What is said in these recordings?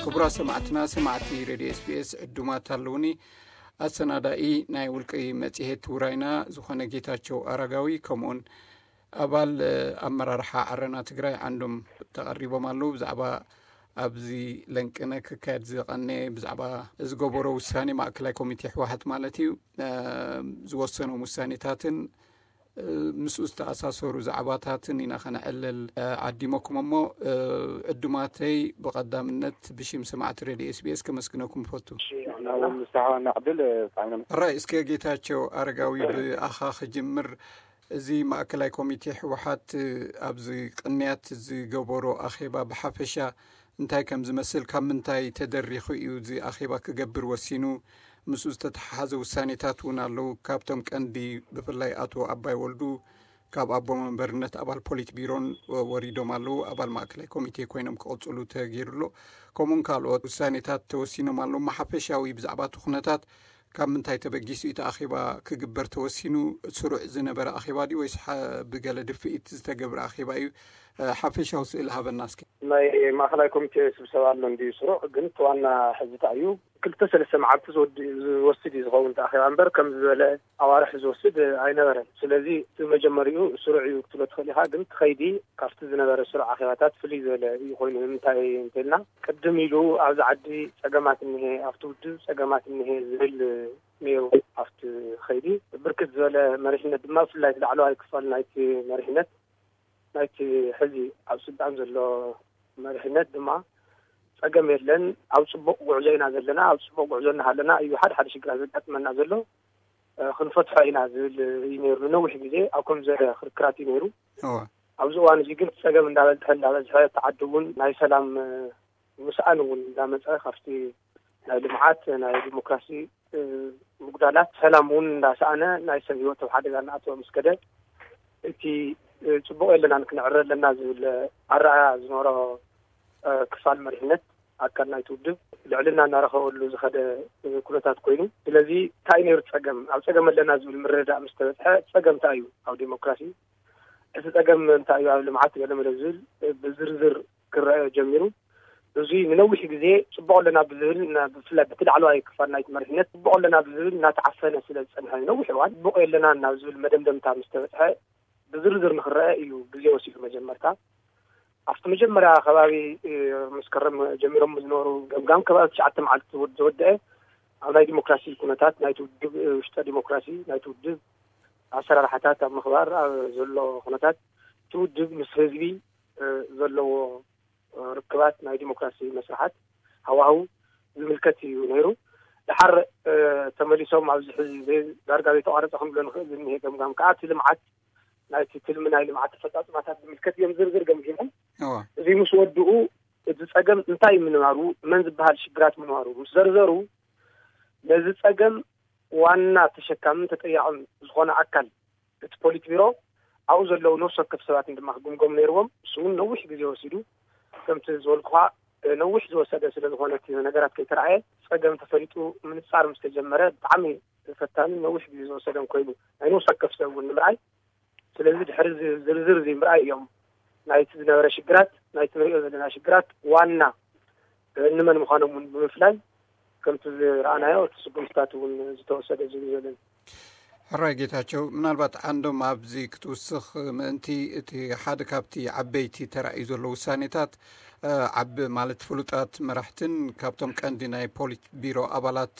ክቡራት ሰማዕትና፣ ሰማዕቲ ሬድዮ ኤስቢኤስ ዕዱማት ኣለውኒ። ኣሰናዳኢ ናይ ውልቂ መጽሔት ውራይና ዝኾነ ጌታቸው ኣረጋዊ፣ ከምኡውን ኣባል ኣመራርሓ ዓረና ትግራይ ዓንዶም ተቐሪቦም ኣለዉ። ብዛዕባ ኣብዚ ለንቅነ ክካየድ ዝቐነ ብዛዕባ ዝገበሮ ውሳኔ ማእከላይ ኮሚቴ ህወሓት ማለት እዩ፣ ዝወሰኖም ውሳኔታትን ምስኡ ዝተኣሳሰሩ ዛዕባታትን ኢና ከነዕልል ዓዲመኩም። እሞ ዕዱማተይ፣ ብቐዳምነት ብሽም ሰማዕቲ ሬድዮ ኤስቢኤስ ከመስግነኩም እፈቱ። ንስሓዋና ዕድል ፃዕነ ራይ እስከ ጌታቸው ኣረጋዊ፣ ብኣኻ ክጅምር። እዚ ማእከላይ ኮሚቴ ህወሓት ኣብዚ ቅንያት ዝገበሮ ኣኼባ ብሓፈሻ እንታይ ከም ዝመስል፣ ካብ ምንታይ ተደሪኹ እዩ እዚ ኣኼባ ክገብር ወሲኑ? ምስኡ ዝተተሓሓዘ ውሳኔታት እውን ኣለዉ። ካብቶም ቀንዲ፣ ብፍላይ ኣቶ ኣባይ ወልዱ ካብ ኣቦ መንበርነት ኣባል ፖሊት ቢሮን ወሪዶም ኣለዉ። ኣባል ማእከላይ ኮሚቴ ኮይኖም ክቕጽሉ ተገይሩ ኣሎ። ከምኡውን ካልኦት ውሳኔታት ተወሲኖም ኣለዉ። ሓፈሻዊ ብዛዕባ እቲ ኩነታት ካብ ምንታይ ተበጊሱ እቲ ኣኼባ ክግበር ተወሲኑ? ስሩዕ ዝነበረ ኣኼባ ድዩ ወይስ ብገለ ድፍኢት ዝተገብረ ኣኼባ እዩ? ሓፈሻዊ ስእሊ ሃበና እስኪ። ናይ ማእኸላይ ኮሚቴ ስብሰባ ኣሎ እንድዩ ስሩዕ፣ ግን እቲ ዋና ሕዝታ እዩ። ክልተ ሰለስተ መዓልቲ ዝወስድ እዩ ዝኸውን እቲ ኣኼባ እምበር ከም ዝበለ ኣዋርሕ ዝወስድ ኣይነበረን። ስለዚ እቲ መጀመሪኡ ስሩዕ እዩ ክትብሎ ትኽእል ኢኻ፣ ግን እቲ ኸይዲ ካብቲ ዝነበረ ስሩዕ ኣኼባታት ፍልይ ዝበለ እዩ ኮይኑ። ንምንታይ እንተልና ቅድም ኢሉ ኣብዚ ዓዲ ጸገማት እኒሄ፣ ኣብቲ ውድብ ጸገማት እኒሄ ዝብል ነይሩ። ኣብቲ ኸይዲ ብርክት ዝበለ መሪሕነት ድማ ብፍላይ እቲ ላዕለዋይ ክፋል ናይቲ መሪሕነት ናይቲ ሕዚ ኣብ ስልጣን ዘሎ መሪሕነት ድማ ጸገም የለን፣ ኣብ ጽቡቕ ጉዕዞ ኢና ዘለና፣ ኣብ ጽቡቕ ጉዕዞ እናሃለና እዩ ሓደ ሓደ ሽግራት ዘጋጥመና ዘሎ፣ ክንፈትሖ ኢና ዝብል እዩ ነይሩ። ንነዊሕ ግዜ ኣብ ከም ዘለ ክርክራት እዩ ነይሩ። ኣብዚ እዋን እዚ ግን ጸገም እንዳበዝሐ እንዳበዝሐ፣ እቲ ዓዲ እውን ናይ ሰላም ምስኣን እውን እንዳመጸ፣ ካብቲ ናይ ልምዓት ናይ ዲሞክራሲ ምጉዳላት ሰላም እውን እንዳሰኣነ፣ ናይ ሰብ ህይወት ኣብ ሓደጋ እናኣተወ ምስ ከደ፣ እቲ ጽቡቕ የለናን ክንዕረ ኣለና ዝብል ኣረኣያ ዝነበሮ ክፋል መሪሕነት ኣካል ናይቲ ውድብ ልዕልና እናረኸበሉ ዝኸደ ኩነታት ኮይኑ፣ ስለዚ እንታይ ነይሩ ጸገም? ኣብ ጸገም ኣለና ዝብል ምርድዳእ ምስ ተበጽሐ፣ ጸገም እንታይ እዩ ኣብ ዲሞክራሲ? እቲ ጸገም እንታይ እዩ ኣብ ልምዓት ገለ መለ ዝብል ብዝርዝር ክረአ ጀሚሩ። እዚ ንነዊሕ ግዜ ጽቡቕ ኣለና ብዝብል፣ ብፍላይ በቲ ላዕለዋይ ክፋል ናይቲ መሪሕነት ጽቡቕ ኣለና ብዝብል እናተዓፈነ ስለ ዝጸንሐ፣ ነዊሕ እዋን ጽቡቕ የለናን ናብ ዝብል መደምደምታ ምስ ተበጽሐ፣ ብዝርዝር ንክረአ እዩ ግዜ ወሲዱ። መጀመርታ ኣብቲ መጀመርያ ከባቢ መስከረም ጀሚሮም ዝነበሩ ገምጋም ከባቢ ትሽዓተ መዓልቲ ዝወድአ ኣብ ናይ ዲሞክራሲ ኩነታት ናይቲ ውድብ፣ ውሽጠ ዲሞክራሲ ናይቲ ውድብ ኣሰራርሓታት ኣብ ምኽባር ዘሎ ኩነታት፣ እቲ ውድብ ምስ ህዝቢ ዘለዎ ርክባት፣ ናይ ዲሞክራሲ መስርሓት ሃዋህው ዝምልከት እዩ ነይሩ። ድሓር ተመሊሶም ኣብዚ ሕዚ ዳርጋ ዘይተቋረፀ ክንብሎ ንኽእል ዝኒሀ ገምጋም ከዓ እቲ ልምዓት፣ ናይቲ ትልሚ ናይ ልምዓት ኣፈፃፅማታት ዝምልከት እዮም ዝርዝር ገምጊሞም። እዚ ምስ ወድኡ እቲ ፀገም እንታይ ምንባሩ፣ መን ዝበሃል ሽግራት ምንባሩ ምስ ዘርዘሩ፣ ነዚ ፀገም ዋና ተሸካምን ተጠያቕን ዝኾነ ኣካል እቲ ፖሊት ቢሮ ኣብኡ ዘለዉ ነፍሲ ወከፍ ሰባት ድማ ክግምገሙ ነይርዎም። እሱ እውን ነዊሕ ግዜ ወሲዱ። ከምቲ ዝበልኩኻ ነዊሕ ዝወሰደ ስለ ዝኾነ እቲ ነገራት ከይተረኣየ ጸገም ተፈሊጡ ምንጻር ምስ ተጀመረ ብጣዕሚ ፈታንን ነዊሕ ግዜ ዝወሰደን ኮይኑ ናይ ነፍሲ ወከፍ ሰብ እውን ንምርኣይ። ስለዚ ድሕሪ እዚ ዝርዝር እዚ ምርኣይ እዮም ናይቲ ዝነበረ ሽግራት፣ ናይቲ ንሪኦ ዘለና ሽግራት ዋና ንመን ምዃኖም እውን ብምፍላይ ከምቲ ዝረኣናዮ እቲ ስጉምትታት እውን ዝተወሰደ ዝብል ዘለን። ሕራይ ጌታቸው፣ ምናልባት ዓንዶም ኣብዚ ክትውስኽ ምእንቲ እቲ ሓደ ካብቲ ዓበይቲ ተራእዩ ዘሎ ውሳኔታት ዓቢ ማለት ፍሉጣት መራሕትን ካብቶም ቀንዲ ናይ ፖሊት ቢሮ ኣባላት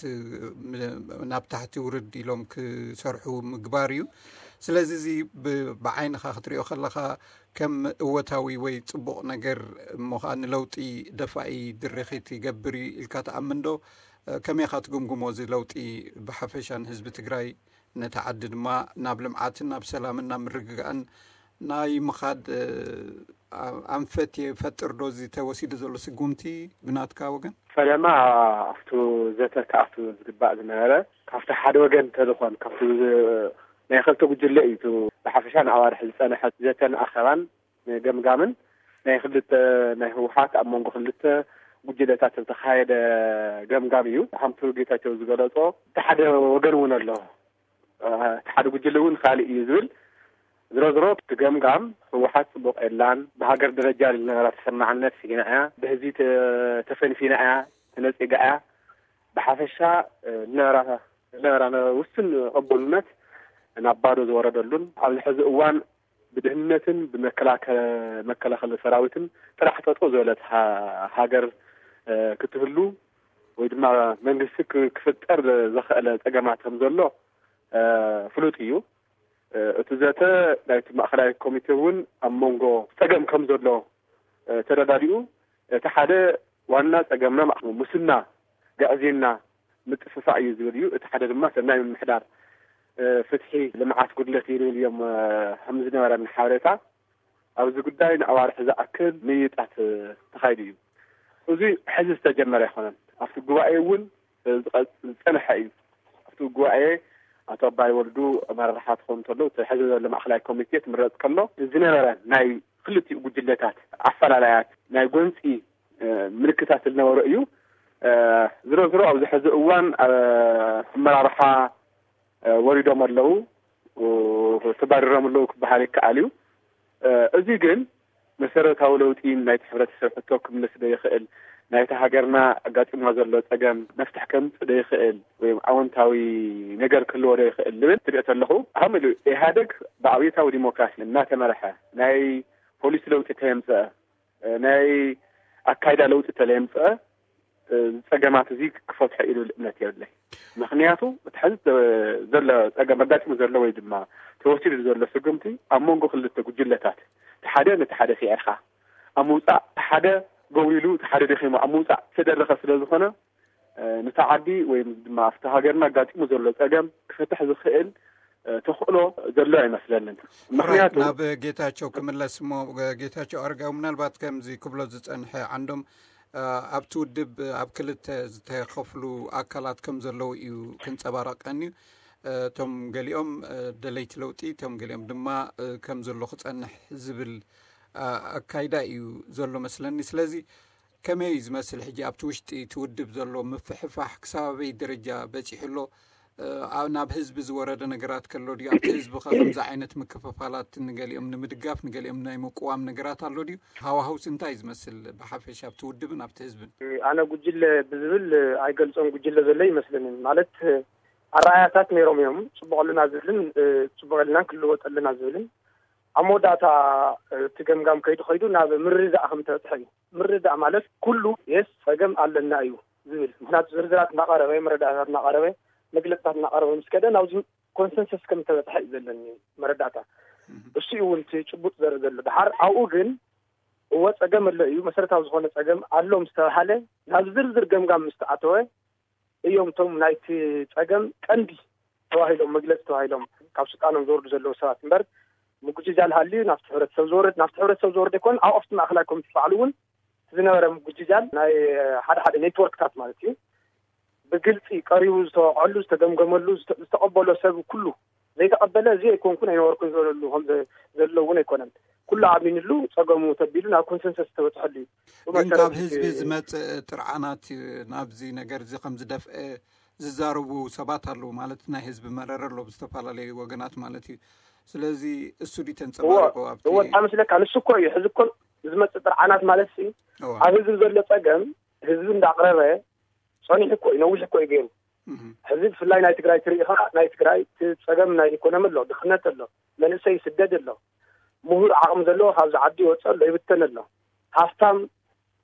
ናብ ታሕቲ ውርድ ኢሎም ክሰርሑ ምግባር እዩ። ስለዚ እዚ ብዓይንኻ ክትሪኦ ከለኻ ከም እወታዊ ወይ ጽቡቕ ነገር እሞ ኸኣ ንለውጢ ደፋኢ ድርኺት ይገብር እዩ ኢልካ ትኣምን ዶ? ከመይ ኢኻ ትግምግሞ እዚ ለውጢ ብሓፈሻ ንህዝቢ ትግራይ፣ ነታ ዓዲ ድማ ናብ ልምዓትን ናብ ሰላምን ናብ ምርግጋእን ናይ ምኻድ ኣንፈት ይፈጥር ዶ እዚ ተወሲዱ ዘሎ ስጉምቲ ብናትካ ወገን? ፈለማ ኣብቱ ዘተ ክኣቱ ዝግባእ ዝነበረ ካብቲ ሓደ ወገን ተልኾን ካብቲ ናይ ክልተ ጉጅለ እዩ። ብሓፈሻ ንኣዋርሕ ዝጸንሐ ዘተን ኣኸባን ገምጋምን ናይ ክልተ ናይ ህወሓት ኣብ መንጎ ክልተ ጉጅለታት ዝተኻየደ ገምጋም እዩ። ከምቲ ጌታቸው ዝገለጾ እቲ ሓደ ወገን እውን ኣሎ። እቲ ሓደ ጉጅለ እውን ካልእ እዩ ዝብል ዝሮ ዝሮ እቲ ገምጋም ህወሓት ጽቡቕ የላን፣ ብሃገር ደረጃ ዝነበራ ተሰማዕነት ስኢና እያ፣ ብህዝቢ ተ- ተፈንፊና እያ፣ ተነጺጋ እያ። ብሓፈሻ ዝነበራ ዝነበራ ውስን ቅቡልነት ናብ ባዶ ዝወረደሉን ኣብዚ ሕዚ እዋን ብድህነትን ብመከላከ- መከላኸሊ ሰራዊትን ጥራሕ ጠጠው ዝበለት ሃ- ሃገር ክትህሉ ወይ ድማ መንግስቲ ክፍጠር ዘኽእለ ጸገማት ከም ዘሎ ፍሉጥ እዩ። እቲ ዘተ ናይቲ ማእኸላይ ኮሚቴ እውን ኣብ መንጎ ጸገም ከም ዘሎ ተረዳዲኡ፣ እቲ ሓደ ዋና ጸገምና ሙስና፣ ግዕዝይና፣ ምጥፍፋእ እዩ ዝብል እዩ። እቲ ሓደ ድማ ሰናይ ምምሕዳር፣ ፍትሒ፣ ልምዓት ጉድለት እዩ ዝብል እዮም ከም ዝነበረኒ ሓበሬታ። ኣብዚ ጉዳይ ንኣዋርሕ ዝኣክል ምይይጣት ተኻይዱ እዩ። እዚ ሕዚ ዝተጀመረ ኣይኮነን። ኣብቲ ጉባኤ እውን ዝጸንሐ እዩ። ኣብቲ ጉባኤ ኣቶ ኣባይ ወልዱ ኣመራርሓ ክኾኑ እንተለዉ፣ እቲ ሕዚ ዘሎ ማእኸላይ ኮሚቴ ክምረጽ ከሎ ዝነበረ ናይ ክልቲኡ ጉጅለታት ኣፈላላያት ናይ ጎንፂ ምልክታት ዝነበሮ እዩ። ዝሮ ዝሮ ኣብዚ ሕዚ እዋን ኣመራርሓ ወሪዶም ኣለዉ፣ ተባሪሮም ኣለዉ ክበሃል ይከኣል እዩ። እዚ ግን መሰረታዊ ለውጢ ናይቲ ሕብረተሰብ ሕቶ ክምልስ ዶ ይኽእል፣ ናይቲ ሃገርና ኣጋጢሞ ዘሎ ጸገም መፍትሕ ከምጽእ ዶ ይኽእል፣ ወይ ኣወንታዊ ነገር ክህልዎ ዶ ይኽእል ዝብል ትሪኦ ተለኹ፣ ሃም ኢሉ ኢህኣደግ ብኣብዮታዊ ዲሞክራሲ እናተመርሐ ናይ ፖሊሲ ለውጢ ተየምፀ ናይ ኣካይዳ ለውጢ ተለየምፀ ዝፀገማት እዚ ክፈትሖ ኢሉ እምነት የብለይ። ምክንያቱ እቲ ሕዚ ዘሎ ፀገም ኣጋጢሙ ዘሎ ወይ ድማ ተወሲዱ ዘሎ ስጉምቲ ኣብ መንጎ ክልተ ጉጅለታት፣ እቲ ሓደ ነቲ ሓደ ስዒርካ ኣብ ምውፃእ፣ እቲ ሓደ ጎብሊሉ እቲ ሓደ ደኺሙ ኣብ ምውፃእ ዝተደረኸ ስለ ዝኾነ፣ ነታ ዓዲ ወይ ድማ ኣብቲ ሃገርና ኣጋጢሙ ዘሎ ፀገም ክፈትሕ ዝኽእል ተኽእሎ ዘሎ ኣይመስለንን። ምክንያቱ ናብ ጌታቸው ክምለስ እሞ፣ ጌታቸው ኣረጋዊ ምናልባት ከምዚ ክብሎ ዝፀንሐ ዓንዶም ኣብቲ ውድብ ኣብ ክልተ ዝተኸፍሉ ኣካላት ከም ዘለዉ እዩ ክንፀባረቀን እዩ። እቶም ገሊኦም ደለይቲ ለውጢ፣ እቶም ገሊኦም ድማ ከም ዘሎ ክፀንሕ ዝብል ኣካይዳ እዩ ዘሎ መስለኒ። ስለዚ ከመይ እዩ ዝመስል ሕጂ ኣብቲ ውሽጢ እቲ ውድብ ዘሎ ምፍሕፋሕ ክሳብ ኣበይ ደረጃ በፂሑ ኣሎ? ናብ ህዝቢ ዝወረደ ነገራት ከሎ ድዩ? ኣብቲ ህዝቢ ከ ከምዚ ዓይነት ምክፍፋላት ንገሊኦም ንምድጋፍ ንገሊኦም ናይ ምቅዋም ነገራት ኣሎ ድዩ? ሃዋህውስ እንታይ እዩ ዝመስል ብሓፈሻ ኣብቲ ውድብን ኣብቲ ህዝብን? ኣነ ጉጅለ ብዝብል ኣይገልጾን ጉጅለ ዘሎ ይመስለንን። ማለት ኣረኣያታት ነይሮም እዮም። ጽቡቕ ኣለና ዝብልን ጽቡቕ የለናን ክልወጥ ኣለና ዝብልን ኣብ መወዳእታ እቲ ገምጋም ከይዱ ከይዱ ናብ ምርድዳእ ከም ተበጽሐ እዩ። ምርዳእ ማለት ኩሉ የስ ጸገም ኣለና እዩ ዝብል። ምክንያቱ ዝርዝራት እናቐረበ፣ መረዳእታት እናቐረበ፣ መግለጽታት እናቐረበ ምስ ከደ ናብዚ ኮንሰንሰስ ከም ተበጽሐ እዩ ዘለኒ መረዳእታ። እሱ እዩ እውን እቲ ጭቡጥ ዘርኢ ዘሎ። ድሓር ኣብኡ ግን እወ ጸገም ኣሎ እዩ፣ መሰረታዊ ዝኾነ ጸገም ኣሎ ምስ ተባሃለ ናብ ዝርዝር ገምጋም ምስ ተኣተወ እዮም እቶም ናይቲ ጸገም ቀንዲ ተባሂሎም መግለጺ ተባሂሎም ካብ ስልጣኖም ዝወርዱ ዘለዉ ሰባት እምበር ምጉጅጃል ሃልዩ ናብቲ ሕብረተሰብ ዝወርድ ናብቲ ሕብረተሰብ ዝወርድ ኣይኮነን። ኣብ ኣብቲ ማእኸላይ ኮሚቴ ባዕሉ እውን ዝነበረ ምጉጅጃል ናይ ሓደ ሓደ ኔትወርክታት ማለት እዩ ብግልፂ ቀሪቡ ዝተወቕዐሉ ዝተገምገመሉ ዝተቐበሎ ሰብ ኩሉ ዘይተቐበለ እዚ ኣይኮንኩን ኣይነበርኩን ዝበለሉ ከም ዘሎ እውን ኣይኮነን። ኩሉ ኣሚንሉ ጸገሙ ተቢሉ ናብ ኮንሰንሰስ ዝተበፅሐሉ እዩ። ግን ካብ ህዝቢ ዝመፅእ ጥርዓናት ናብዚ ነገር እዚ ከም ዝደፍአ ዝዛረቡ ሰባት ኣለዉ ማለት ናይ ህዝቢ መረረ ኣሎ ብዝተፈላለዩ ወገናት ማለት እዩ። ስለዚ እሱ ድዩ ተንፀባርቆ ኣብቲ እወ እንታይ መስለካ ንሱ እኮ እዩ ሕዚ እኮ ዝመፅእ ጥርዓናት ማለት ሲ እወ ኣብ ህዝቢ ዘሎ ፀገም ህዝቢ እንዳቕረበ ጸኒሑ እኮ እዩ ነዊሕ እኮ እዩ ገይሩ። ሕዚ ብፍላይ ናይ ትግራይ ትርኢ ኸዓ ናይ ትግራይ እቲ ጸገም ናይ ኢኮኖሚ ኣሎ፣ ድኽነት ኣሎ፣ መንእሰይ ይስደድ ኣሎ፣ ምሁር ዓቕሚ ዘለዎ ካብዚ ዓዲ ይወፅእ ኣሎ፣ ይብተን ኣሎ። ሃፍታም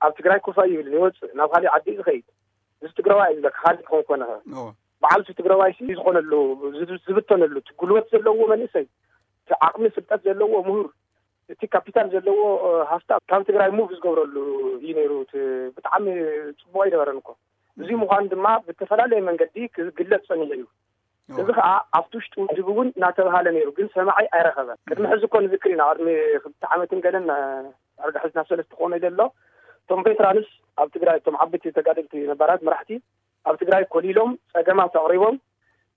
ኣብ ትግራይ ኮፍ ኣይብልን ይወፅእ ናብ ካሊእ ዓዲ እዩ ዝኸይድ። እዚ ትግራዋይ እዩ ዝብለካ ካልእ ክኾን ኮነ ኸ እወ በዓል እቲ ትግራዋይ ሲ ዝኾነሉ ዝብ- ዝብተነሉ እቲ ጉልበት ዘለዎ መንእሰይ እቲ ዓቕሚ ፍልጠት ዘለዎ ምሁር እቲ ካፒታል ዘለዎ ሃፍታ ካብ ትግራይ ሙቭ ዝገብረሉ እዩ ነይሩ። እቲ ብጣዕሚ ፅቡቅ ኣይነበረን እኮ። እዚ ምኳኑ ድማ ብተፈላለየ መንገዲ ክግለፅ ፀኒሑ እዩ። እዚ ከዓ ኣብቲ ውሽጢ ውድብ እውን እናተባሃለ ነይሩ፣ ግን ሰማዒ ኣይረኸበን። ቅድሚ ሕዚ እኮ ንዝክር ኢና፣ ቅድሚ ክልተ ዓመትን ገለን ኣርጋሕዚ ናብ ሰለስተ ክኾነ ኢለ ኣሎ። እቶም ቬትራንስ ኣብ ትግራይ፣ እቶም ዓበይቲ ተጋደልቲ ነባራት መራሕቲ ኣብ ትግራይ ኮሊሎም ፀገማት ኣቕሪቦም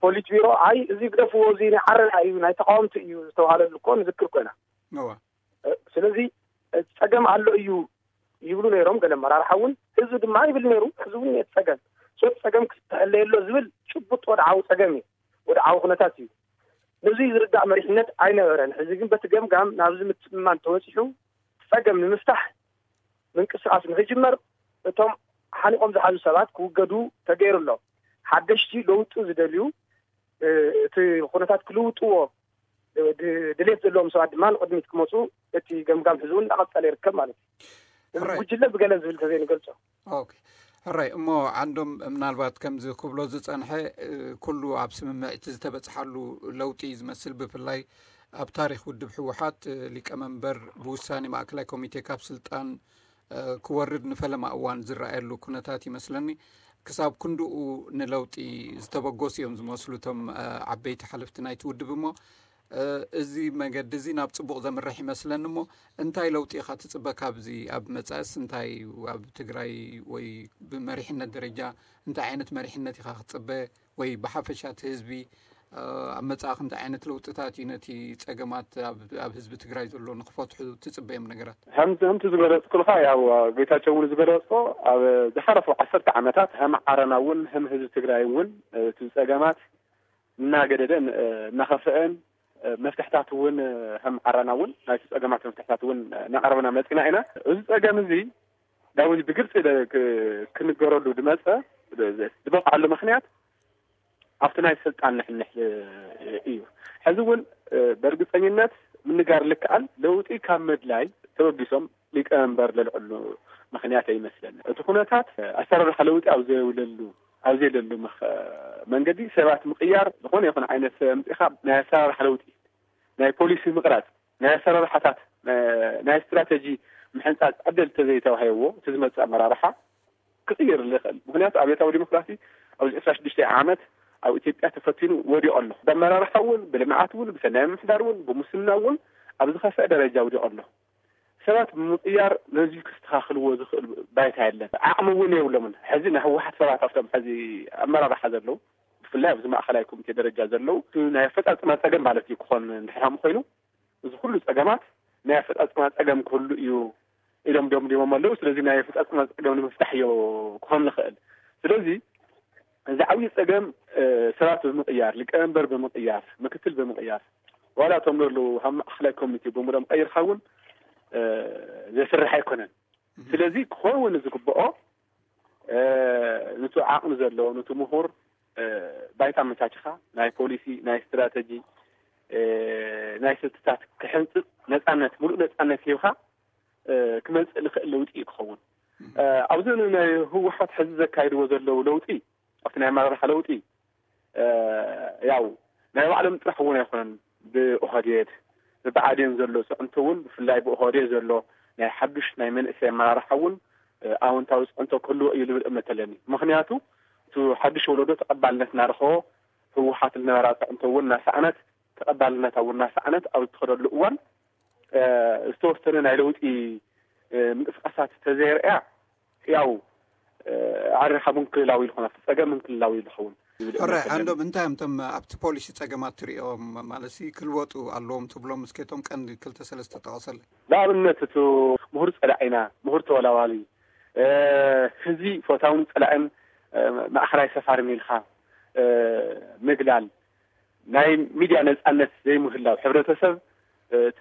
ፖሊት ቢሮ ኣይ እዚ ግደፍዎ፣ እዚ ናይ ዓረና እዩ፣ ናይ ተቃወምቲ እዩ ዝተባሃለሉ እኮ ንዝክር ኮይና። እዋ። ስለዚ ጸገም ኣሎ እዩ ይብሉ ነይሮም ገለ ኣመራርሓ እውን። ህዝቢ ድማ ይብል ነይሩ። ህዝቢ እውን የጸገም ሶት ጸገም ክስተሐለየሎ ዝብል ጭቡጥ ወድዓዊ ጸገም እዩ። ወድዓዊ ኩነታት እዩ። ነዚ ዝርዳእ መሪሕነት ኣይነበረን። ሕዚ ግን በቲ ገምጋም ናብዚ ምትእምማን ተወፂሑ ጸገም ንምፍታሕ ምንቅስቃስ ንክጅመር እቶም ሓኒቆም ዝሓዙ ሰባት ክውገዱ ተገይሩ ኣሎ። ሓደሽቲ ለውጢ ዝደልዩ እቲ ኩነታት ክልውጥዎ ድሌት ዘለዎም ሰባት ድማ ንቅድሚት ክመፁ እቲ ገምጋም ሕዚ እውን እናቀፀለ ይርከብ ማለት እዩ። እዚ ጉጅለ ብገለ ዝብል ተዘይንገልፆ። ሕራይ እሞ፣ ዓንዶም፣ ምናልባት ከምዚ ክብሎ ዝፀንሐ ኩሉ ኣብ ስምምዕ እቲ ዝተበፅሓሉ ለውጢ ዝመስል፣ ብፍላይ ኣብ ታሪክ ውድብ ህወሓት ሊቀመንበር ብውሳኔ ማእከላይ ኮሚቴ ካብ ስልጣን ክወርድ ንፈለማ እዋን ዝረኣየሉ ኩነታት ይመስለኒ። ክሳብ ክንድኡ ንለውጢ ዝተበገሱ እዮም ዝመስሉ እቶም ዓበይቲ ሓለፍቲ ናይቲ ውድብ። እሞ እዚ መገዲ እዚ ናብ ፅቡቕ ዘምርሕ ይመስለኒ። እሞ እንታይ ለውጢ ኢኻ ትፅበ ካብዚ? ኣብ መፃእስ እንታይ ኣብ ትግራይ ወይ ብመሪሕነት ደረጃ እንታይ ዓይነት መሪሕነት ኢኻ ክትፅበ? ወይ ብሓፈሻ እቲ ህዝቢ ኣብ መፃእኽ እንታይ ዓይነት ለውጥታት እዩ ነቲ ፀገማት ኣብ ህዝቢ ትግራይ ዘሎ ንክፈትሑ ትፅበዮም ነገራት? ከምቲ ዝገለፅኩልካ፣ ያው ጌታቸው እውን ዝገለፆ፣ ኣብ ዝሓለፉ ዓሰርተ ዓመታት ከም ዓረና እውን ከም ህዝቢ ትግራይ እውን እቲ ፀገማት እናገደደ እናኸፍአን መፍትሕታት እውን ከም ዓረና እውን ናይቲ ፀገማት መፍትሕታት እውን እናቐረብና መፂና ኢና። እዚ ፀገም እዚ ዳዊት ብግልፂ ክንገረሉ ድመፀ ዝበቕዓሉ ምክንያት ኣብቲ ናይ ስልጣን ንሕንሕ እዩ። ሕዚ እውን ብእርግፀኝነት ምንጋር ልክኣል ለውጢ ካብ ምድላይ ተበጊሶም ሊቀመንበር ለልዕሉ ምክንያት ኣይመስለኒ። እቲ ኩነታት ኣሰራርሓ ለውጢ ኣብ ዘየብለሉ ኣብ ዘየለሉ መንገዲ ሰባት ምቅያር፣ ዝኾነ ይኹን ዓይነት ሰብ ኣምፂኻ ናይ ኣሰራርሓ ለውጢ፣ ናይ ፖሊሲ ምቕራፅ፣ ናይ ኣሰራርሓታት፣ ናይ ስትራተጂ ምሕንፃፅ ዕድል ተዘይተዋሂብዎ እቲ ዝመፅእ ኣመራርሓ ክቕይር ዝኽእል። ምክንያቱ ኣብዮታዊ ዲሞክራሲ ኣብዚ ዕስራ ሽዱሽተ ዓመት ኣብ ኢትዮጵያ ተፈቲኑ ወዲቑ ኣሎ። ብኣመራርሓ እውን፣ ብልምዓት እውን፣ ብሰናይ ምምሕዳር እውን፣ ብሙስና እውን ኣብ ዝኸፍአ ደረጃ ወዲቑ ኣሎ። ሰባት ብምቕያር ነዚ ክስተኻኽልዎ ዝኽእል ባይታ የለን። ዓቕሚ እውን የብሎምን። ሕዚ ናይ ህወሓት ሰባት ኣብቶም ሕዚ ኣመራርሓ ዘለዉ፣ ብፍላይ ኣብዚ ማእኸላይ ኮሚቴ ደረጃ ዘለዉ፣ ናይ ኣፈፃፅማ ፀገም ማለት እዩ ክኾን እንድሕር ኮይኑ፣ እዚ ኩሉ ፀገማት ናይ ኣፈፃፅማ ፀገም ክህሉ እዩ ኢሎም ደምዲሞም ኣለዉ። ስለዚ ናይ ኣፈፃፅማ ፀገም ንምፍታሕ እዮ ክኾን ንኽእል። ስለዚ እዚ ዓብዪ ፀገም ሰባት ብምቕያር፣ ሊቀመንበር ብምቕያር፣ ምክትል ብምቕያር፣ ዋላ እቶም ዘለዉ ኣብ ማእኸላይ ኮሚቴ ብምሎም ቀይርካ እውን ዘስርሕ ኣይኮነን። ስለዚ ክኸውን ዝግብኦ ነቲ ዓቕሚ ዘለዎ፣ ነቲ ምሁር ባይታ ኣመቻችኻ ናይ ፖሊሲ፣ ናይ ስትራተጂ፣ ናይ ስልትታት ክሕንፅፅ ነፃነት፣ ሙሉእ ነፃነት ሂብካ ክመፅእ ዝኽእል ለውጢ እዩ ክኸውን። ኣብዚ ናይ ህወሓት ሕዚ ዘካይድዎ ዘለዉ ለውጢ፣ ኣብቲ ናይ ኣመራርሓ ለውጢ ያው ናይ ባዕሎም ጥራሕ እውን ኣይኮነን። ብኦህዴድ ብብዓዴን ዘሎ ፅዕንቶ እውን፣ ብፍላይ ብኦህዴድ ዘሎ ናይ ሓዱሽ ናይ መንእሰይ ኣመራርሓ እውን ኣወንታዊ ፅዕንቶ ክህልዎ እዩ ዝብል እምነት ኣለኒ። ምክንያቱ እቲ ሓዱሽ ወለዶ ተቐባልነት እናረኸቦ፣ ህወሓት ዝነበራ ፅዕንቶ እውን እናሰኣነት፣ ተቐባልነታ እውን እናሰኣነት ኣብ እትኸደሉ እዋን ዝተወሰነ ናይ ለውጢ ምንቅስቃሳት ተዘይርኣያ ያው ኣሪኻ ምንክልላዊ ዝኾነ ፀገም ምንክልላዊ ዝኸውን። ሕራይ፣ ዓንዶም፣ እንታይ እዮም እቶም ኣብቲ ፖሊሲ ፀገማት ትሪኦም? ማለት ክልወጡ ኣለዎም ትብሎም እስኬቶም ቀንዲ ክልተ ሰለስተ ጠቐሰለ። ንኣብነት እቲ ምሁር ፀላኢና፣ ምሁር ተወላዋሊ፣ ህዝቢ ፈታውን ፀላእን ማእኸላይ ሰፋርን ኢልካ ምግላል፣ ናይ ሚድያ ነፃነት ዘይምህላው፣ ሕብረተሰብ እቲ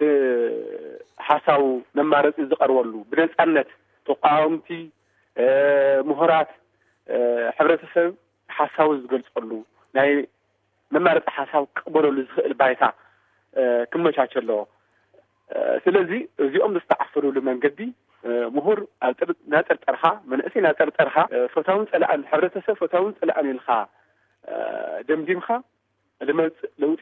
ሓሳቡ መማረፂ ዝቐርበሉ ብነፃነት ተቃወምቲ፣ ምሁራት፣ ሕብረተሰብ ሓሳቡ ዝገልፀሉ ናይ መማረፂ ሓሳብ ክቕበለሉ ዝኽእል ባይታ ክመቻቸ ኣለዎ። ስለዚ እዚኦም ዝተዓፈኑሉ መንገዲ ምሁር እናጠርጠርካ፣ መንእሰይ እናጠርጠርካ፣ ፈታውን ፀላእን፣ ሕብረተሰብ ፈታውን ፀላእን ኢልካ ደምዲምካ ዝመፅእ ለውጢ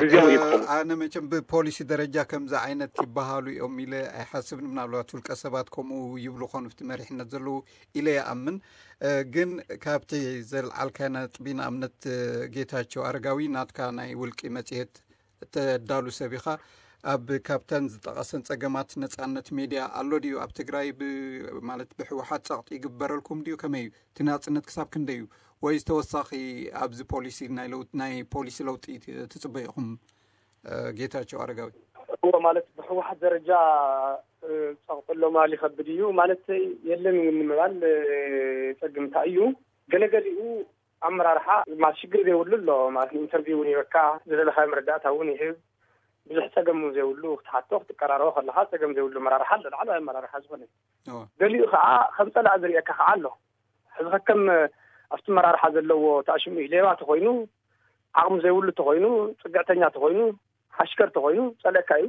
ግዜያዊ እዩ ክኸውን። ኣነ መቸም ብፖሊሲ ደረጃ ከምዚ ዓይነት ይበሃሉ እዮም ኢለ ኣይሓስብን። ምናልባት ውልቀ ሰባት ከምኡ ይብሉ ኾኑ፣ ኣብቲ መሪሕነት ዘለዉ ኢለ ይኣምን። ግን ካብቲ ዘልዓልካዮ ነጥቢ፣ ንኣብነት ጌታቸው ኣረጋዊ ናትካ ናይ ውልቂ መፅሄት እተዳሉ ሰብ ኢኻ። ኣብ ካብተን ዝጠቐሰን ፀገማት ነፃነት ሜድያ ኣሎ ድዩ ኣብ ትግራይ? ማለት ብህወሓት ፀቕጢ ይግበረልኩም ድዩ? ከመይ እዩ እቲ ናፅነት ክሳብ ክንደይ እዩ? ወይስ ተወሳኺ ኣብዚ ፖሊሲ ናይ ለውጥ ናይ ፖሊሲ ለውጢ ትፅበዩ ኢኹም? ጌታቸው ኣረጋዊ። እዎ፣ ማለት ብህወሓት ደረጃ ፀቕጢ ኣሎ ምባል ይኸብድ እዩ። ማለት የለን እውን ንምባል ፀግምታ እዩ። ገለገሊኡ ኣመራርሓ ማለት ሽግር ዘይብሉ ኣሎ ማለት ኢንተርቪው እውን ይበካ፣ ዝደለኻ መረዳእታ እውን ይህብ። ብዙሕ ጸገም እውን ዘይብሉ ክትሓቶ ክትቀራረቦ ከለኻ ጸገም ዘይብሉ ኣመራርሓ ኣሎ። ላዕለዋይ ኣመራርሓ ዝኾነ ገሊኡ ከዓ ከም ጸላእ ዝርእየካ ከዓ ኣሎ። ሕዚ ከከም ኣብቲ ኣመራርሓ ዘለዎ ተኣሽሙ እዩ። ሌባ ተኾይኑ፣ ዓቕሚ ዘይብሉ ተኾይኑ፣ ጽግዕተኛ ተኾይኑ፣ ሓሽከር ተኾይኑ ጸለካ እዩ።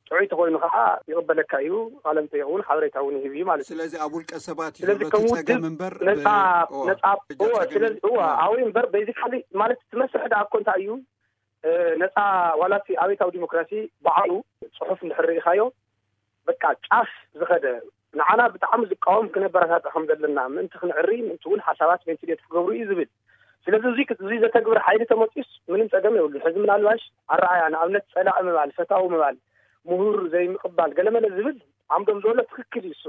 ጥዑይ ተኾይኑ ከዓ ይቕበለካ እዩ። ቃለ መጠይቕ እውን ሓበሬታ እውን ይህብ እዩ ማለት እዩ። ስለዚ ኣብ ውልቀ ሰባት እዩ ስለዚ ዘሎ እቲ ከም ጸገም ውድብ እምበር ነፃ ብ-፣ እዋ፣ ነፃ በጃ እወ፣ ጸገም ስለዚ እዋ፣ እዋ። ኣብኡ እምበር ቤዚካሊ ማለት እቲ መስርሕ ደኣ እኮ እንታይ እዩ? እ፣ ነፃ ዋላ እቲ ኣብዮታዊ ዲሞክራሲ ባዕሉ ጽሑፍ እንድሕር ርኢኻዮ በቃ ጫፍ ዝኸደ ንዓና ብጣዕሚ ዝቃወም ክነበረታትዕ ከም ዘለና ምእንቲ ክንዕሪ ምእንቲ እውን ሓሳባት ቬንቲሌት ክገብሩ እዩ ዝብል። ስለዚ እዚ እዚ ዘተግብር ሓይሊ ተመፂኡስ ምንም ጸገም የብሉን። ሕዚ ምናልባሽ ኣረኣያ ንኣብነት ጸላኢ ምባል፣ ፈታዊ ምባል፣ ምሁር ዘይምቕባል ገለመለ ዝብል ዓምዶም ዘሎ ትኽክል እዩ። እሱ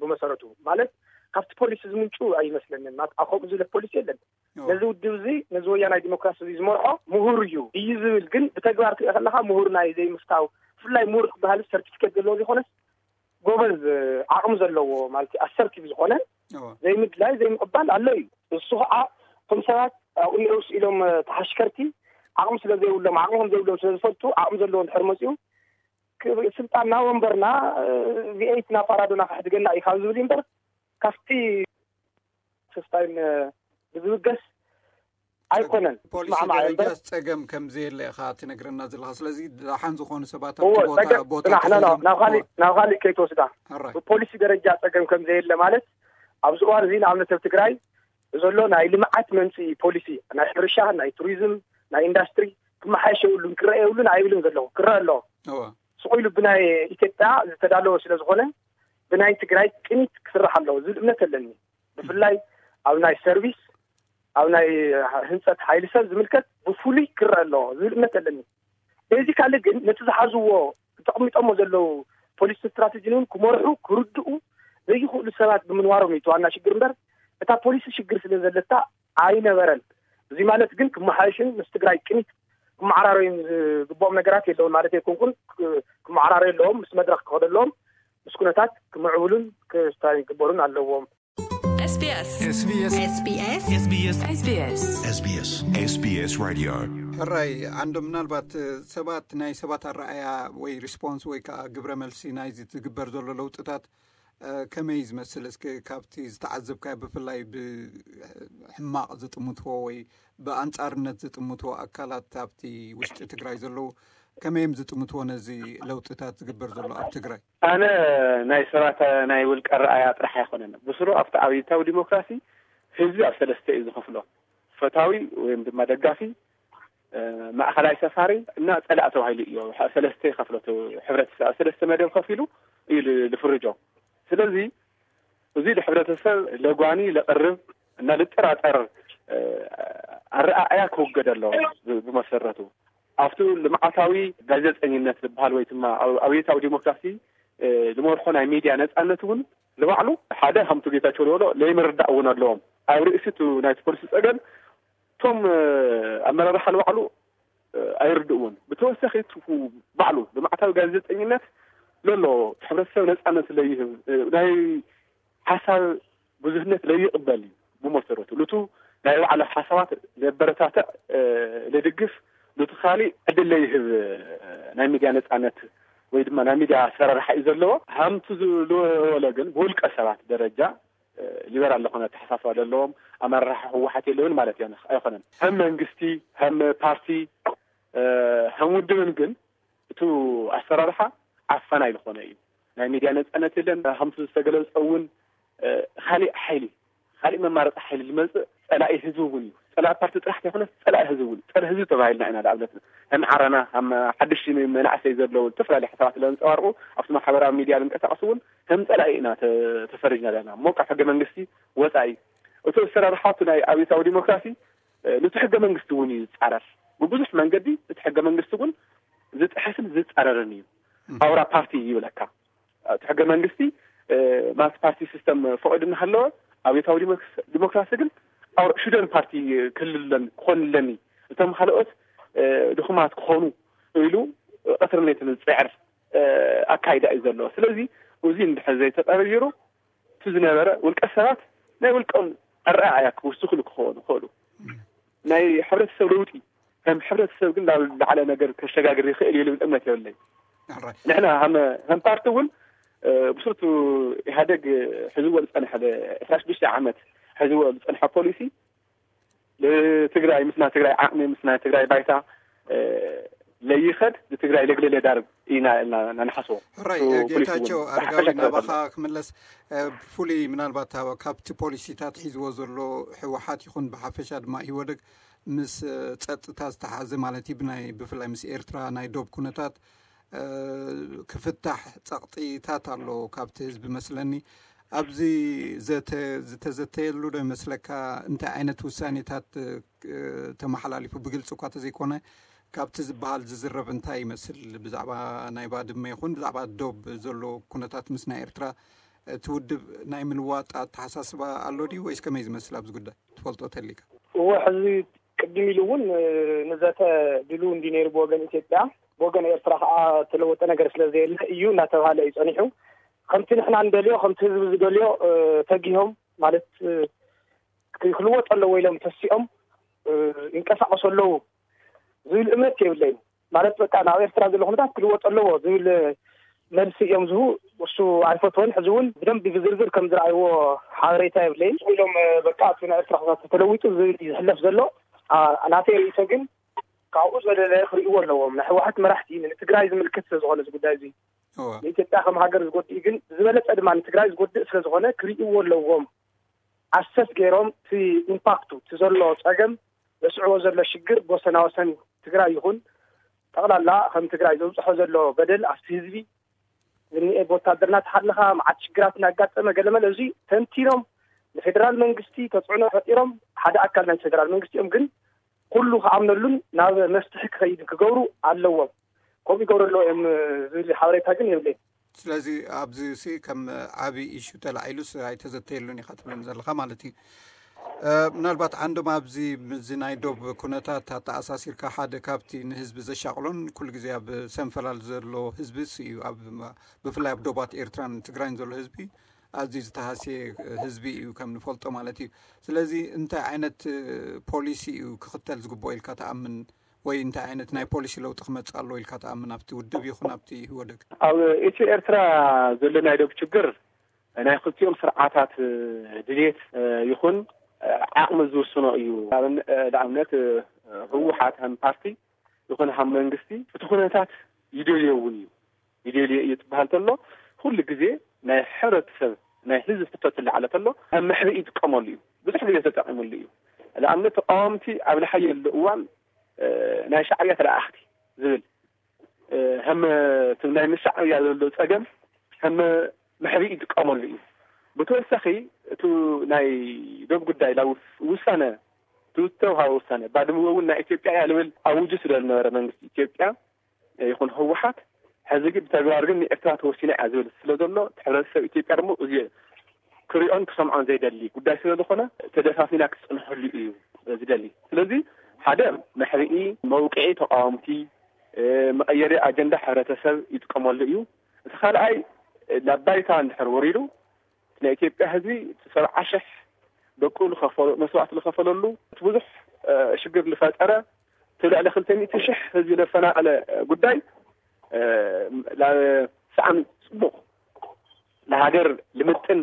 ብመሰረቱ ማለት ካብቲ ፖሊሲ ዝምንጩ ኣይመስለንን። ማለት ኣብ ከምኡ ዝብለ ፖሊሲ የለን። እዎ። ነዚ ውድብ እዚ ነዚ ወያናይ ዲሞክራሲ እዚ ዝመርሖ ምሁር እዩ እዩ ዝብል ግን ብተግባር ትሪኦ ከለኻ ምሁር ናይ ዘይምፍታው ብፍላይ ምሁር ክበሃል ሰርቲፊኬት ዘለዎ ዘይኮነስ ጎበዝ ዓቕሚ ዘለዎ ማለት ኣሰርቲቭ ዝኾነ እዎ። ዘይምድላይ ዘይምቕባል ኣሎ እዩ። እሱ ከዓ እቶም ሰባት ኣብኡ ነይሩ ስኢሎም ተሓሽከርቲ ዓቕሚ ስለ ዘይብሎም ዓቕሚ ከም ዘይብሎም ስለ ዝፈልጡ ዓቕሚ ዘለዎ እንድሕር መፅኡ ክ-፣ ስልጣንና ወንበርና ቪኤይት ናብ ፓራዶና ከሕድገና እዩ ካብ ዝብል እምበር ካብቲ ተስፋይን ብዝብገስ ኣይኮነን። ፖሊሲ ስማዕማዕ ደረጃ እምበር ጸገም ከም ዘየለ ኢኻ ትነግረና ዘለኻ። ስለዚ ደሓን ዝኾኑ ሰባት እዎ፣ ኣብቲ ቦታ፣ ጸገም ቦታ ጽናሕ፣ ኖ፣ ኖ፣ ተሒዞም ናብ ካሊእ፣ እዎ። ናብ ካሊእ ከይትወስዳ። ኣራይ። ብፖሊሲ ደረጃ ጸገም ከም ዘየለ ማለት ኣብዚ እዋን እዚ ንኣብነት ኣብ ትግራይ ዘሎ ናይ ልምዓት መምፅኢ ፖሊሲ ናይ ሕርሻ፣ ናይ ቱሪዝም፣ ናይ ኢንዳስትሪ ክመሓየሽ የብሉን፣ ክረአ የብሉን ኣይብልን ዘለኹ። ክረአ ኣለዎ። እዎ። ስቕ ኢሉ ብናይ ኢትዮጵያ ዝተዳለወ ስለ ዝኾነ ብናይ ትግራይ ቅኒት ክስራሕ ኣለዎ ዝብል እምነት ኣለኒ። ብፍላይ ኣብ ናይ ሰርቪስ፣ ኣብ ናይ ህንፀት ሓይሊ ሰብ ዝምልከት ብፍሉይ ክረአ ኣለዎ ዝብል እምነት ኣለኒ። ቤዚካሊ ግን ነቲ ዝሓዝዎ ተቐሚጦሞ ዘለዉ ፖሊሲ ስትራቴጂን እውን ክመርሑ፣ ክርድኡ ዘይኽእሉ ሰባት ብምንባሮም እዩ እቲ ዋና ሽግር እምበር እታ ፖሊሲ ሽግር ስለ ዘለታ ኣይነበረን። እዚ ማለት ግን ክመሓየሽን ምስ ትግራይ ቅኒት ክመዓራረዩን ዝግብኦም ነገራት የለውን ማለት ኣይኮንኩን። ክ-፣ ክመዓራረዩ ኣለዎም፣ ምስ መድረኽ ክኸዱ ኣለዎም፣ ምስ ኩነታት ክምዕብሉን ክስታዩ ክግበሩን ኣለዎም። SBS SBS SBS SBS SBS SBS Radio። ሕራይ ዓንዶ፣ ምናልባት ሰባት ናይ ሰባት ኣረኣያ ወይ ሪስፖንስ ወይ ከዓ ግብረ መልሲ ናይዚ ትግበር ዘሎ ለውጥታት እ፣ ከመይ ዝመስል? እስኪ ካብቲ ዝተዓዘብካዮ ብፍላይ ብሕማቕ ዝጥምትዎ ወይ ብኣንጻርነት ዝጥምትዎ ኣካላት ኣብቲ ውሽጢ ትግራይ ዘለዉ ከመይ እዮም ዝጥምትዎ ነዚ ለውጥታት ዝግበር ዘሎ ኣብ ትግራይ? ኣነ ናይ ሰባት ናይ ውልቀ ኣረኣያ ጥራሕ ኣይኮነን። ብስሩ ኣብቲ ኣብዮታዊ ዲሞክራሲ ህዝቢ ኣብ ሰለስተ እዩ ዝኸፍሎ። ፈታዊ ወይም ድማ ደጋፊ፣ እ፣ ማእኸላይ ሰፋሪ እና ጸላእ ተባሂሉ እዩ። ሰለስተ ይኸፍሎ። እቲ ሕብረተሰብ ኣብ ሰለስተ መደብ ከፊሉ እዩ ል-፣ ልፍርጆ። ስለዚ እዚ ንሕብረተሰብ ለጓኒ ለቕርብ እና ልጠራጠር፣ እ፣ ኣረኣእያ ክውገድ ኣለዎ። ብ-፣ ብመሰረቱ ኣብቲ ልምዓታዊ ጋዜጠኝነት ዝበሃል ወይ ድማ ኣብ-፣ ኣብዮታዊ ዲሞክራሲ፣ እ፣ ዝመርሖ ናይ ሚድያ ነጻነት እውን ንባዕሉ ሓደ ከምቲ ጌታቸው ዝበሎ ለይምርዳእ እውን ኣለዎም። ኣብ ርእሲ እቲ ናይቲ ፖሊሲ ጸገም እቶም፣ እ፣ ኣመራርሓ ንባዕሉ፣ እ፣ ኣይርድእዎን። ብተወሳኺ እቲ ባዕሉ ልምዓታዊ ጋዜጠኝነት ለሎ ሕብረተሰብ ነጻነት ለይህብ፣ እ፣ ናይ ሓሳብ ብዙህነት ለይቕበል እዩ። ብመሰረቱ ሉቱ ናይ ባዕሉ ሓሳባት ለበረታትዕ፣ እ፣ ለድግፍ፣ ሉቱ ካሊእ ዕድል ለይህብ፣ እ፣ ናይ ሚድያ ነጻነት ወይ ድማ ናይ ሚድያ ኣሰራርሓ እዩ ዘለዎ። ሃምቱ ዝበለ ግን ብውልቀ ሰባት ደረጃ፣ እ፣ ሊበራል ዝኾነ ኣተሓሳስባ ዘለዎም ኣመራርሓ ህወሓት የለውን ማለት እያ፣ ኣይኮነን። ከም መንግስቲ፣ ከም ፓርቲ፣ እ፣ ከም ውድብን ግን እቱ ኣሰራርሓ ዓፋናይ ዝኾነ እዩ። ናይ ሚድያ ነጻነት የለን። ከምቲ ዝተገለጸ እውን፣ እ፣ ካሊእ ሓይሊ፣ ካሊእ መማረፂ ሓይሊ ዝመጽእ ጸላኢ ህዝቢ እውን እዩ። ጸላኢ ፓርቲ ጥራሕ ዘይኮነስ ጸላኢ ህዝቢ እውን። ጸረ ህዝቢ ተባሂልና ኢና ንኣብነት ከም ዓረና፣ ከም ሓድሽ መናእሰይ ዘለዉ ዝተፈላለዩ ሓሳባት ለንጸባርቑ ኣብቲ ማሕበራዊ ሚድያ ዝንቀሳቐሱ እውን ከም ጸላኢ ኢና ተ-፣ ተፈሪጅና ዘለና። እሞ ካብ ሕገ መንግስቲ ወጻኢ እቲ ኣሰራርሓ እቲ ናይ ኣብዮታዊ ዲሞክራሲ፣ እ፣ ነቲ ሕገ መንግስቲ እውን እዩ ዝጻረር። ብብዙሕ መንገዲ እቲ ሕገ መንግስቲ እውን ዝጥሕስን ዝጻረርን እዩ። እም። ኣውራ ፓርቲ ይብለካ። እቲ ሕገ መንግስቲ፣ እ፣ ማልቲ ፓርቲ ሲስተም ፈቒዱ እናሃለወ ኣብዮታዊ ዲሞክስ-፣ ዲሞክራሲ ግን ኣውራ ሹደን ፓርቲ ክልለን ክኾንለኒ፣ እቶም ካልኦት፣ እ፣ ድኹማት ክኾኑ ኢሉ ቀትርን ለይትን ዝጽዕር፣ እ፣ ኣካይዳ እዩ ዘለዎ። ስለዚ እዚ እንድሕር ዘይተቐይሩ እቲ ዝነበረ ውልቀ ሰባት ናይ ውልቀም ኣረኣእያ ክውስኽሉ ክኾኑ ይኽእሉ። ናይ ሕብረተሰብ ለውጢ ከም ሕብረተሰብ ግን ናብ ላዕለ ነገር ከሸጋግር ይኽእል እዩ ልብል እምነት የብለይ። ንሕና ከም ፓርቲ እውን ብስርቱ ኢህኣደግ ሕዝዎ ዝፀንሐ ዕስራ ሽዱሽተ ዓመት ሕዝዎ ዝፀንሐ ፖሊሲ ንትግራይ ምስና ትግራይ ዓቕሚ ምስና ትግራይ ባይታ ለይኸድ ንትግራይ ለግለ ለዳርብ ኢና ንሓስቦ። ሕራይ ጌታቸው ኣረጋዊ፣ ናባኻ ክምለስ። ብፍሉይ ምናልባት ካብቲ ፖሊሲታት ሒዝዎ ዘሎ ህወሓት ይኹን ብሓፈሻ ድማ ኢህወደግ ምስ ጸጥታ ዝተሓዘ ማለት እዩ፣ ብናይ ብፍላይ ምስ ኤርትራ ናይ ዶብ ኩነታት ክፍታሕ ጸቕጢታት ኣሎ ካብቲ ህዝቢ መስለኒ። ኣብዚ ዝተዘተየሉ ዶ ይመስለካ? እንታይ ዓይነት ውሳኔታት ተመሓላሊፉ ብግልፂ እኳ ተዘይኮነ ካብቲ ዝበሃል ዝዝረብ እንታይ ይመስል? ብዛዕባ ናይ ባድመ ይኹን ብዛዕባ ዶብ ዘሎ ኩነታት ምስ ናይ ኤርትራ እቲ ውድብ ናይ ምልዋጥ ኣተሓሳስባ ኣሎ ድዩ ወይስ ከመይ ዝመስል ኣብዚ ጉዳይ ትፈልጦ ተሊካ? እወ፣ ሕዚ ቅድም ኢሉ እውን ንዘተ ድሉ እንዲ ነይሩ ብወገን ኢትዮጵያ፣ ብወገን ኤርትራ ከዓ ተለወጠ ነገር ስለ ዘየለ እዩ እናተባሃለ እዩ ጸኒሑ። ከምቲ ንሕና እንደልዮ ከምቲ ህዝቢ ዝደልዮ ተጊሆም ማለት ክልወጥ ኣለዎ ኢሎም ተሲኦም ይንቀሳቀሱ ኣለዉ ዝብል እምነት የብለይን። ማለት በቃ ናብ ኤርትራ ዘሎ ኩነታት ክልወጥ ኣለዎ ዝብል መልሲ እዮም ዝሁ። እሱ ኣይፈትወን። ሕዚ እውን ብደንብ ብዝርዝር ከም ዝረኣይዎ ሓበሬታ የብለይን ኢሎም በቃ እቲ ናይ ኤርትራ ኩነታት ተለዊጡ ዝብል እዩ ዝሕለፍ ዘሎ። ናተይ ርእይቶ ግን ካብኡ ዘለለ ክርእይዎ ኣለዎም። ናይ ህወሓት መራሕቲ ንትግራይ ዝምልከት ስለ ዝኾነ እዚ ጉዳይ እዚ ንኢትዮጵያ ከም ሃገር ዝጎድእ ግን ዝበለፀ ድማ ንትግራይ ዝጎድእ ስለ ዝኾነ ክርእይዎ ኣለዎም። ኣሰስ ገይሮም እቲ ኢምፓክቱ እቲ ዘሎ ፀገም ዘስዕቦ ዘሎ ሽግር ብወሰና ወሰን ትግራይ ይኹን ጠቕላላ ከም ትግራይ ዘብፅሖ ዘሎ በደል ኣብቲ ህዝቢ ዝኒኤ ብወታደር እናተሓለኻ መዓት ሽግራት እናጋጠመ ገለመለ እዚ ተንቲኖም ንፌደራል መንግስቲ ተፅዕኖ ፈጢሮም ሓደ ኣካል ናይ ፌደራል መንግስቲ እዮም ግን ኩሉ ክኣምነሉን ናብ መፍትሒ ክኸይድ ክገብሩ ኣለዎም። ከምኡ ይገብሩ ኣለዎ እዮም ዝብል ሓበሬታ ግን የብለይን። ስለዚ ኣብዚ ሲ ከም ዓብዪ ኢሹ ተላዒሉስ ኣይተዘተየሉን ኢኻ ትብለኒ ዘለኻ ማለት እዩ። ምናልባት ዓንዶም ኣብዚ ምዚ ናይ ዶብ ኩነታት ኣተኣሳሲርካ ሓደ ካብቲ ንህዝቢ ዘሻቕሎን ኩሉ ግዜ ኣብ ሰንፈላል ዘሎ ህዝቢ እዩ። ብፍላይ ኣብ ዶባት ኤርትራን ትግራይን ዘሎ ህዝቢ ኣዝዩ ዝተሃስየ ህዝቢ እዩ ከም ንፈልጦ ማለት እዩ። ስለዚ እንታይ ዓይነት ፖሊሲ እዩ ክኽተል ዝግብኦ ኢልካ ትኣምን? ወይ እንታይ ዓይነት ናይ ፖሊሲ ለውጢ ክመፅእ ኣለዎ ኢልካ ትኣምን ኣብቲ ውድብ ይኹን ኣብቲ ህወደግ? ኣብ ኢትዮ ኤርትራ ዘሎ ናይ ዶብ ችግር ናይ ክልቲኦም ስርዓታት ድሌት ይኹን ዓቕሚ ዝውስኖ እዩ። ንኣብነት ህወሓት ከም ፓርቲ ይኹን ከም መንግስቲ እቲ ኩነታት ይደልዮ እውን እዩ። ይደልዮ እዩ ትበሃል ተሎ ኩሉ ግዜ ናይ ሕብረተሰብ ናይ ህዝቢ ሕቶ ትለዓለ ተሎ ኣብ መሕብኢ ይጥቀመሉ እዩ። ብዙሕ ግዜ ተጠቂሙሉ እዩ። ንኣብነት ተቃወምቲ ኣብ ዝሓየሉ እዋን ናይ ሻዕብያ ተለኣኣኽቲ ዝብል ከም ናይ ምስ ሻዕብያ ዘሎ ፀገም ከም መሕብኢ ይጥቀመሉ እዩ። ብተወሳኺ እቲ ናይ ዶብ ጉዳይ ናብ ውሳነ እቲ ዝተውሃበ ውሳነ ባድመ እውን ናይ ኢትዮጵያ እያ ዝብል ኣውጁ ስለ ዝነበረ መንግስቲ ኢትዮጵያ ይኹን ህወሓት ሕዚ ግን ብተግባር ግን ንኤርትራ ተወሲና እያ ዝብል ስለ ዘሎ እቲ ሕብረተሰብ ኢትዮጵያ ድማ እዚ ክሪኦን ክሰምዖን ዘይደሊ ጉዳይ ስለ ዝኾነ ተደፋፊና ክትፀንሐሉ እዩ ዝደሊ። ስለዚ ሓደ መሕብኢ መውቅዒ ተቃወምቲ መቐየሪ ኣጀንዳ ሕብረተሰብ ይጥቀመሉ እዩ። እቲ ካልኣይ ናብ ባይታ እንድሕር ወሪዱ ናይ ኢትዮጵያ ህዝቢ እቲ ሰብዓ ሽሕ ደቁ መስዋእቲ ዝኸፈለሉ እቲ ብዙሕ ሽግር ዝፈጠረ እቲ ልዕሊ ክልተ ሚእቲ ሽሕ ህዝቢ ዘፈናቀለ ጉዳይ ሳዕን ፅቡቅ ንሃገር ልምጥን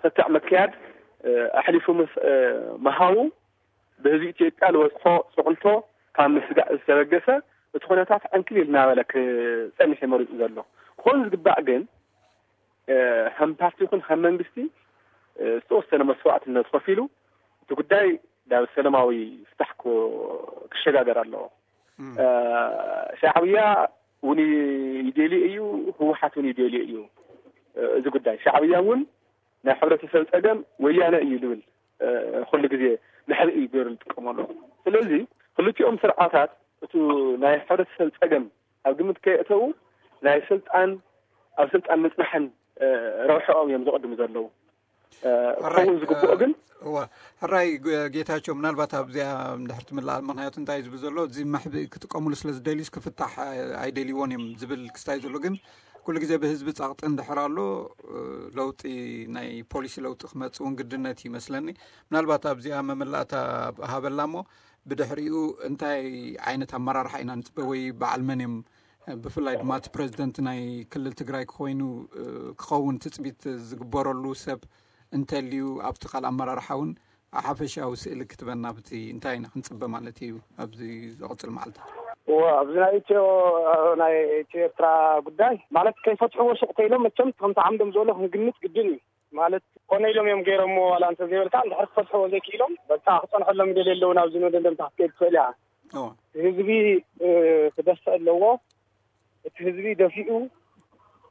ክትዕ ምክያድ ኣሕሊፉ ምሃቡ ብህዝቢ ኢትዮጵያ ዝበፅሖ ፅቕልቶ ካብ ምስጋእ ዝተበገሰ እቲ ኩነታት ዕንክሊል እናበለ ክፀንሕ መሪፁ ዘሎ ክኾን ዝግባእ ግን ከም ፓርቲ ይኹን ከም መንግስቲ ዝተወሰነ መስዋእትነት ከፊሉ እቲ ጉዳይ ናብ ሰላማዊ ፍታሕ ክሸጋገር ኣለዎ። ሻዕብያ እውን ይደልዮ እዩ፣ ህወሓት እውን ይደልዮ እዩ። እዚ ጉዳይ ሻዕብያ እውን ናይ ሕብረተሰብ ፀገም ወያነ እዩ ዝብል ኩሉ ግዜ መሕብኢ ገይሩ ዝጥቀመሉ። ስለዚ ክልቲኦም ስርዓታት እቲ ናይ ሕብረተሰብ ፀገም ኣብ ግምት ከየእተዉ ናይ ስልጣን ኣብ ስልጣን ምፅናሕን ረብሐኦም እዮም ዘቐድሙ ዘለዉ። ክኸውን ዝግብኦ ግን እዋ ሕራይ ጌታቸው፣ ምናልባት ኣብዚኣ እንድሕር ትምላእ፣ ምክንያቱ እንታይ ዝብል ዘሎ፣ እዚ መሕብኢ ክጥቀሙሉ ስለ ዝደልዩስ ክፍታሕ ኣይደልይዎን እዮም ዝብል ክስታይ ዘሎ። ግን ኩሉ ግዜ ብህዝቢ ጸቕጢ እንድሕር ኣሎ፣ ለውጢ፣ ናይ ፖሊሲ ለውጢ ክመጽእ እውን ግድነት ይመስለኒ። ምናልባት ኣብዚኣ መመላእታ ሃበላ እሞ፣ ብድሕሪኡ እንታይ ዓይነት ኣመራርሓ ኢና ንጽበ ወይ በዓል መን እዮም፣ ብፍላይ ድማ እቲ ፕረዚደንት ናይ ክልል ትግራይ ክኮይኑ ክኸውን ትጽቢት ዝግበረሉ ሰብ እንተልዩ፣ ኣብቲ ካልእ ኣመራርሓ እውን ሓፈሻዊ ስእሊ ክትበና ብቲ እንታይ ኢና ክንጽበ ማለት እዩ ኣብዚ ዝቕጽል መዓልታት? እዎ፣ ኣብዚ ናይ ኢትዮ ናይ ኢትዮ ኤርትራ ጉዳይ ማለት ከይፈትሕዎ ሱቕ ተይሎም መቸም ከምቲ ዓምዶም ዝበሎ ክንግምት ግድን እዩ። ማለት ኮነ ኢሎም እዮም ገይሮምዎ ዋላ እንተዘይበልካ እንድሕር ክፈትሕዎ ዘይክኢሎም በቃ ክጸንሐሎም ይደልዩ ኣለዉ ናብዚ መደምደምታ ክትከይድ ትኽእል እያ። እዎ። ህዝቢ ክደፍእ ኣለዎ። እቲ ህዝቢ ደፊኡ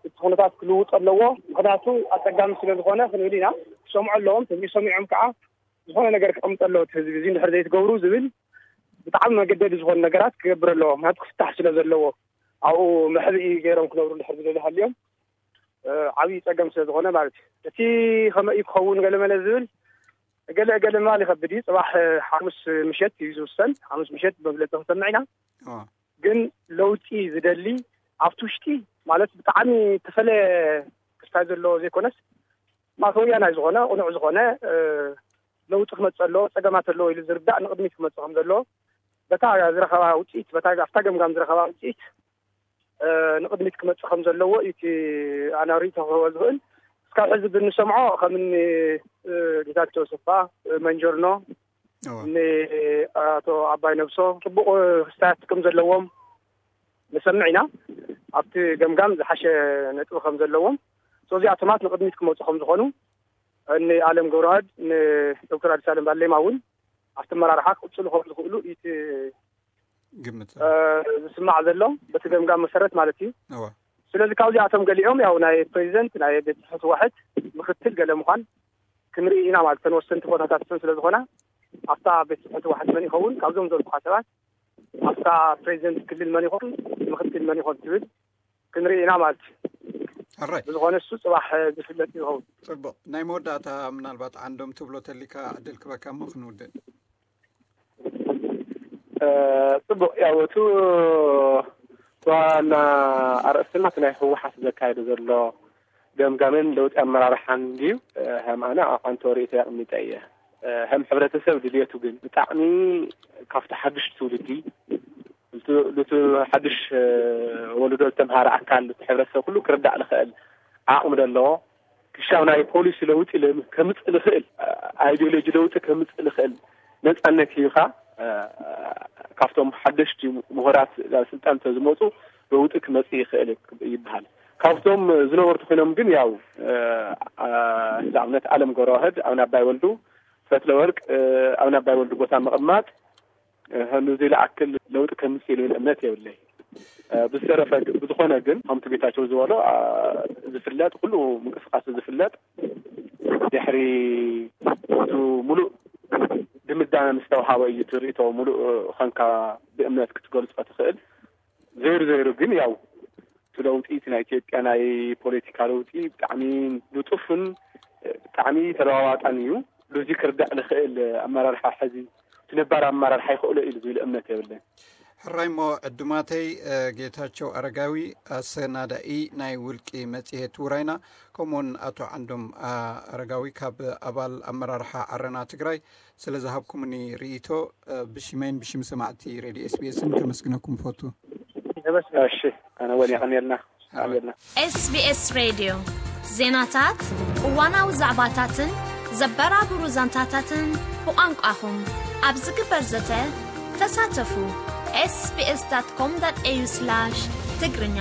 እቲ ኩነታት ክልውጥ ኣለዎ። ምክንያቱ ኣጸጋሚ ስለ ዝኾነ ክንብል ኢና። ክሰምዑ ኣለዎም። ህዝቢ ሰሚዖም ከዓ ዝኾነ ነገር ክቐምጥ ኣለዎ። እቲ ህዝቢ እዚ እንድሕር ዘይትገብሩ ዝብል ብጣዕሚ መገደዲ ዝኾኑ ነገራት ክገብር ኣለዎ። ምክንያቱ ክፍታሕ ስለ ዘለዎ ኣብኡ መሕብኢ ገይሮም ክነብሩ እንድሕር ዝደሊ ሃልዮም ዓብዪ ጸገም ስለ ዝኾነ ማለት እዩ። እቲ ከመይ እዩ ክኸውን ገለመለ ዝብል ገለ ገለ ምባል ይኸብድ እዩ። ጽባሕ ሓሙስ ምሸት እዩ ዝውሰን። ሓሙስ ምሸት መግለጺ ክንሰምዕ ኢና። ግን ለውጢ ዝደሊ ኣብቲ ውሽጢ ማለት ብጣዕሚ ተፈለ ክስታይ ዘለዎ ዘይኮነስ ማተወያናይ ዝኾነ ቅኑዕ ዝኾነ ለውጢ ክመፅእ ኣለዎ፣ ፀገማት ኣለዎ ኢሉ ዝርዳእ ንቕድሚት ክመፅእ ከም ዘለዎ በታ ዝረኸባ ውፅኢት በታ ኣብታ ገምጋም ዝረኸባ ውፅኢት ንቕድሚት ክመፅእ ከም ዘለዎ እዩ እቲ ኣነ ርእይቶ ክህቦ ዝኽእል። እስካብ ሕዚ ብንሰምዖ ከምኒ ጌታቸው ኣሰፋ መንጀርኖ ንኣቶ ኣባይ ነብሶ ፅቡቕ ክስታያት ከም ዘለዎም ንሰምዕ ኢና። ኣብቲ ገምጋም ዝሓሸ ነጥቢ ከም ዘለዎም እዚኣቶማት ንቕድሚት ክመፁ ከም ዝኾኑ ንኣለም ገብረዋህድ ንዶክተር ኣዲስ ኣለም ባሌማ እውን ኣብቲ ኣመራርሓ ክቕፅሉ ከም ዝኽእሉ እቲ ግምት ዝስማዕ ዘሎ በቲ ገምጋም መሰረት ማለት እዩ። ስለዚ ካብዚኣቶም ገሊኦም ያው ናይ ፕሬዚደንት ናይ ቤት ፅሕፈት ዋሕድ ምክትል ገለ ምዃን ክንርኢ ኢና ማለት እተን ወሰንቲ ቦታታት እተን ስለ ዝኾና ኣብታ ቤት ፅሕፈት ዋሕድ መን ይኸውን ካብዞም ዘልኩኻ ሰባት ኣብታ ፕሬዚደንት ክልል መን ይኾን ምክትል መን ይኾን ትብል ክንርኢ ኢና ማለት እዩ። ሕራይ ብዝኾነ እሱ ፅባሕ ዝፍለጥ ይኸውን። ፅቡቕ። ናይ መወዳእታ ምናልባት ዓንዶም ትብሎ ተሊካ ዕድል ክበካ እሞ ክንውድእ። ፅቡቕ። ያው እቲ ዋና ኣርእስትና እቲ ናይ ህወሓት ዘካየደ ዘሎ ገምጋምን ለውጢ ኣመራርሓን ድዩ? ከም ኣነ ኣንቶ ርእይቶ ኣቕሚጠ እየ። ከም ሕብረተሰብ ድልየቱ ግን ብጣዕሚ ካብቲ ሓድሽ ትውልዲ ሉቲ ሓድሽ ወለዶ ዝተምሃረ ኣካል እቲ ሕብረተሰብ ኩሉ ክርዳእ ዝኽእል ዓቕሚ ዘለዎ ክሻብ ናይ ፖሊሲ ለውጢ ከምፅእ ዝኽእል ኣይዲዮሎጂ ለውጢ ከምፅእ ዝኽእል ነፃነት ሂብካ ካብቶም ሓደሽቲ ምሁራት ናብ ስልጣን ተዝመፁ ለውጢ ክመፅእ ይኽእል ይበሃል። ካብቶም ዝነበሩ ተኮይኖም ግን ያው ንኣብነት ኣለም ገብረዋህድ ኣብ ናባይ ወልዱ ፈትለ ወርቅ ኣብ ናባይ ወልዱ ቦታ ምቕማጥ ንዚ ዝኣክል ለውጢ ከምፅእ ኢሉ እምነት የብለይ። ብዝተረፈ ብዝኾነ ግን ከምቲ ጌታቸው ዝበሎ ዝፍለጥ ኩሉ ምንቅስቃሴ ዝፍለጥ ድሕሪ እቲ ሙሉእ ድምዳመ ምስ ተውሃበ እዩ ትርእቶ ሙሉእ ኸንካ ብእምነት ክትገልፆ ትኽእል። ዘይሩ ዘይሩ ግን ያው እቲ ለውጢ እቲ ናይ ኢትዮጵያ ናይ ፖለቲካ ለውጢ ብጣዕሚ ንጡፍን ብጣዕሚ ተለዋዋጣን እዩ። ሉዚ ክርዳእ ንኽእል ኣመራርሓ ሕዚ እቲ ነባር ኣመራርሓ ይኽእሎ እዩ ዝብል እምነት የብለን። ሕራይ እሞ ዕዱማተይ ጌታቸው ኣረጋዊ ኣሰናዳኢ ናይ ውልቂ መጽሔት ውራይና ከምኡውን ኣቶ ዓንዶም ኣረጋዊ ካብ ኣባል ኣመራርሓ ዓረና ትግራይ ስለ ዝሃብኩምኒ ርእይቶ ብሽመይን ብሽም ሰማዕቲ ሬድዮ ኤስቢኤስን ከመስግነኩም ፈቱ። እሺ ኣነ ወን የቐንየልና። SBS Radio ዜናታት፣ እዋናዊ ዛዕባታትን ዘበራብሩ ዛንታታትን ብቋንቋኹም ኣብ ዝግበር ዘተ ተሳተፉ። sbs.com.au/ትግርኛ